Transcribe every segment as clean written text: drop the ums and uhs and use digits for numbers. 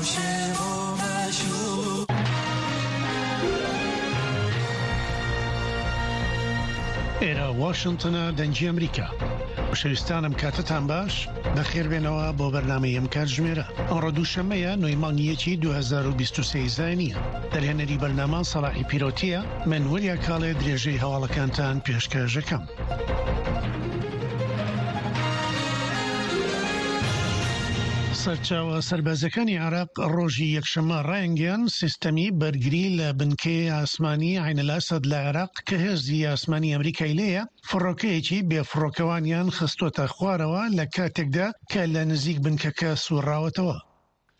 عاشق و معشوق. ئێرە واشنتنە دەنگی ئەمریکا. خۆشەویستانم کاتتان باش بەخێربێنەوە بۆ بەرنامەی ئەم کاتژمێرە ئەمڕۆ دووشەممەیە نۆی مانگی یەکی 2023 زایینیە دەرهێنەری بەرنامە سەڵاحی پیرۆتیە من وریا کاڵێ درێژەی هەواڵەکانتان پێشکەشەکەم. سەرچاوە سەربازیەکانی عێراق ڕۆژی یەکشەممە ڕایانگەیاند، سیستەمی بەرگری لە بنکەی ئاسمانی عەین ئەلئەسەد لە عێراق کە هێزی ئاسمانی ئەمریکای لێیە، فڕۆکەیەکی بێفڕۆکەوانیان خستۆتە خوارەوە لە کاتێکدا کە لە نزیک بنکەکە سوڕاوەتەوە.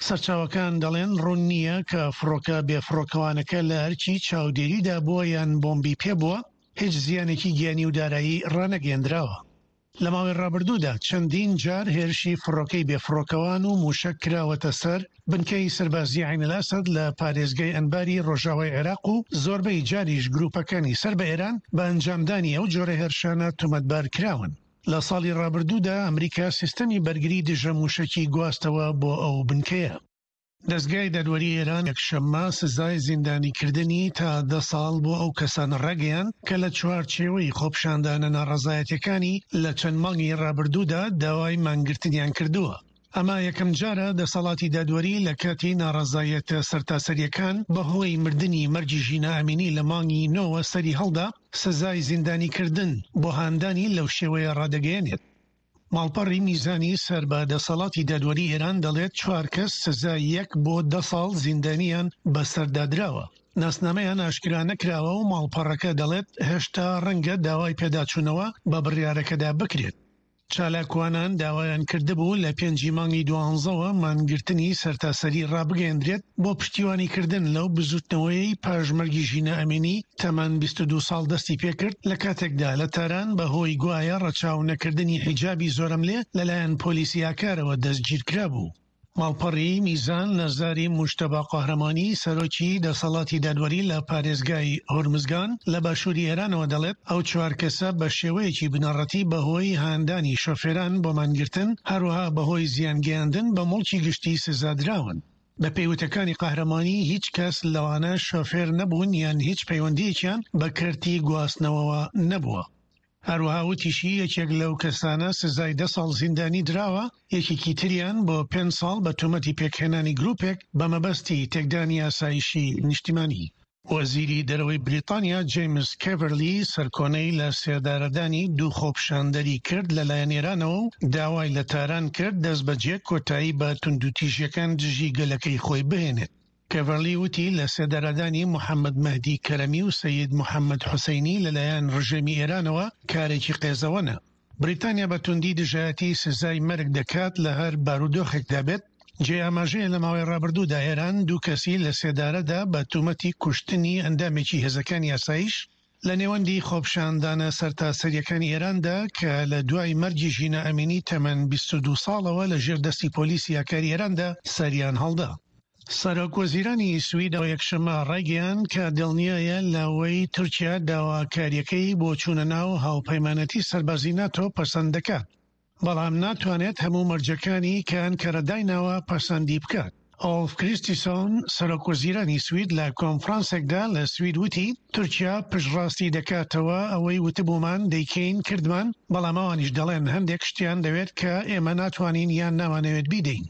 سەرچاوەکان دەڵێن ڕوون نییە کە فڕۆکە بێفڕۆکەوانەکە لە ئەرکی چاودێریدا بووە یان بۆمبی پێبووە، هیچ زیانێکی گیانی و دارایی ڕانەگەیەندراوە. لە ماوەی ڕابردوودا چەندین جار هێرشی فڕۆکەی بێفڕۆکەوان و مووشەک کراوەتە سەر بنکەی سەربازیی عەین ئەلئەسەد لە پارێزگای ئەنباری ڕۆژاوای عێراق و زۆربەی جاریش گرووپەکانی سەر بە ئێران بە ئەنجامدانی ئەو جۆرە هێرشانە تۆمەتبار کراون. لە ساڵی ڕابردوودا ئەمریکا سیستەمی بەرگری دژە مووشەکی گواستەوە بۆ ئەو بنکەیە. دەزگای دادوەری ئێران یەکشەممە سزای زیندانیکردنی تا دە ساڵ بۆ ئەو کەسانە ڕاگەیاند کە لە چوارچێوەی خۆپیشاندانە ناڕەزایەتیەکانی لە چەند مانگی ڕابردوودا داوای مانگرتنیان کردووە. ئەمە یەکەمجارە دەسەڵاتی دادوەری لە کاتی ناڕەزایەتە سەرتاسەرییەکان بەهۆی مردنی مەرگی ژینا ئەمینی لە مانگی نۆوە سەری هەڵدا، سزای زیندانیکردن بۆ هاندانی لەو شێوەیە ڕادەگەیەنێت. ماڵپەڕی میزانی سەر بە دەسەڵاتی دادوەری ئێران دەڵێت چوار کەس سزای یەک بۆ دە ساڵ زیندانیان بەسەردا دراوە. ناسنامەیان ئاشکرا نەکراوە و ماڵپەڕەکە دەڵێت هێشتا ڕەنگە داوای پێداچوونەوە بە بڕیارەکەدا بکرێت. چالاکوانان داوایان کردبوو لە پێنجی مانگی دوانزەوە مانگرتنی سەرتاسەری ڕابگەیەندرێت بۆ پشتیوانیکردن لەو بزوتنەوەیەی پاش مەرگی ژینا ئەمینی تەمەن 22 ساڵ دەستی پێکرد لە کاتێکدا لە تاران بەهۆی گوایە ڕەچاو نەکردنی حیجابی زۆرەملێ لەلایەن پۆلیسی ئاکارەوە دەستگیرکرابوو. ماڵپەڕی میزان لە زاری موجتەبا قەهرەمانی، سەرۆکی دەسەڵاتی دادوەری لە پارێزگای هورمزگان لە باشووری ئێرانەوە دەڵێت، ئەو چوار کەسە بە شێوەیەکی بنەڕەتی بەهۆی هاندانی شۆفێران بۆ مانگرتن، هەروەها بەهۆی زیانگەیاندن بە موڵکی گشتی سزادراون. بەپێی وتەکانی قەهرەمانی، هیچ کەس لەوانە شۆفێر نەبوون یان هیچ پەیوەندییەکیان بە کەرتی گواستنەوەوە نەبووە. هەروەها وتیشی، یەکێک لەو کەسانە سزای دە ساڵ زیندانی دراوە، یەکێکی تریان بۆ پێنج ساڵ بە تۆمەتی پێکهێنانی گروپێک بە مەبەستی تێکدانی ئاسایشی نیشتیمانی. وەزیری دەرەوەی بریتانیا جەیمس کێڤەرلی سەرکۆنەی لە سێدارەدانی دوو خۆپیشاندەری کرد لەلایەن ئێرانەوە و داوای لە تاران کرد دەستبەجێ کۆتایی بە توندوتیژیەکان دژی گەلەکەی خۆی بهێنێت. کێڤەرلی وتی، لە سێدارەدانی محەمەد مەهدی کەرەمی و سەید محەمەد حوسەینی لەلایەن ڕژێمی ئێرانەوە کارێکی قێزەوەنە. بریتانیا بە توندی دژایەتی سزای مەرگ دەکات لە هەر بارودۆخێکدا بێت. جێی ئاماژەیە لە ماوەی ڕابردوودا ئێران دوو کەسی لە سێدارەدا بە تومەتی کوشتنی ئەندامێکی هێزەکانی ئاسایش لە نێوەندی خۆپیشاندانە سەرتاسەرییەکانی ئێراندا کە لە دوای مەرگی ژینا ئەمینی تەمەن 22 ساڵەوە لە ژێر دەستی پۆلیسی ئاکاری ئێراندا سەریان هەڵدا. سەرۆک وەزیرانی سوید یەکشەممە ڕایگەیاند کە دڵنیایە لەوەی تورکیا داواکارییەکەی بۆ چوونە ناو هاوپەیمانێتی سەربازی ناتۆ پەسەند دەکات. بەڵام ناتوانێت هەموو مەرجەکانی کە ئەنکەرە دایناوە پەسەندی بکات. ئۆڵف کریستیسۆن، سەرۆکوەزیرانی سوید لە کۆنفرانسێکدا لە سوید وتی، تورکیا پشتڕاستی دەکاتەوە ئەوەی وتبوومان دەیکەین کردمان، بەڵام ئەوانیش دەڵێن هەندێک شتیان دەوێت کە ئێمە ناتوانین یان نامانەوێت بیدەین.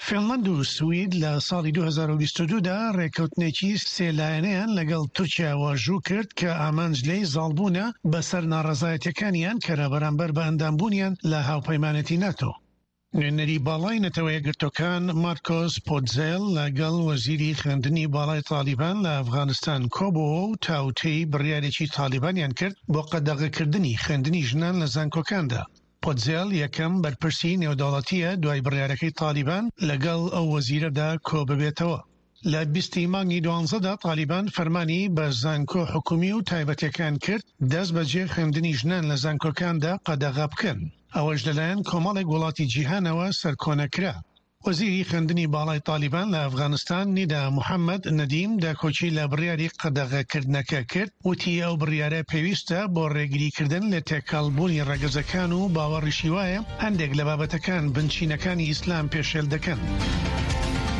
فینلەند و سوید لە ساڵی 2022 دا ڕێککەوتنێکی سێ لایەنەیان لەگەڵ تورکیا واژوو کرد کە ئامانج لێی زاڵبوونە بەسەر ناڕەزایەتیەکانی ئەنکەرە بەرامبەر بە ئەندامبوونیان لە هاوپەیمانێتی ناتۆ. نوێنەری باڵای نەتەوە یەکگرتووەکان مارکۆس پۆتزێل لەگەڵ وەزیری خوێندنی باڵای تاڵیبان لە ئەفغانستان کۆبۆوە و تاوتێی بڕیارێکی تاڵیبانیان کرد بۆ قەدەغەکردنی خوێندنی ژنان لە زانکۆکاندا. پۆتزێل یەکەم بەرپرسی نێودەوڵەتییە دوای بڕیارەکەی تاڵیبان لەگەڵ ئەو وەزیرەدا کۆببێتەوە. لە 20 ی مانگی دوانزەدا تاڵیبان فەرمانی بە زانکۆ حکومی و تایبەتیەکان کرد دەستبەجێ خوێندنی ژنان لە زانکۆکاندا قەدەغە بکەن، ئەوەش لەلایەن کۆمەڵێک وڵاتی جیهانەوە سەرکۆنە کرا. وەزیری خوێندنی باڵای تاڵیبان لە ئەفغانستان نیدا محەمەد نەدیم داکۆکی لە بڕیاری قەدەغەکردنەکە کرد، وتی ئەو بڕیارە پێویستە بۆ ڕێگریکردن لە تێکەڵبوونی ڕەگەزەکان و باوەڕیشی وایە هەندێک لە بابەتەکان بنچینەکانی ئیسلام پێشێل دەکەن.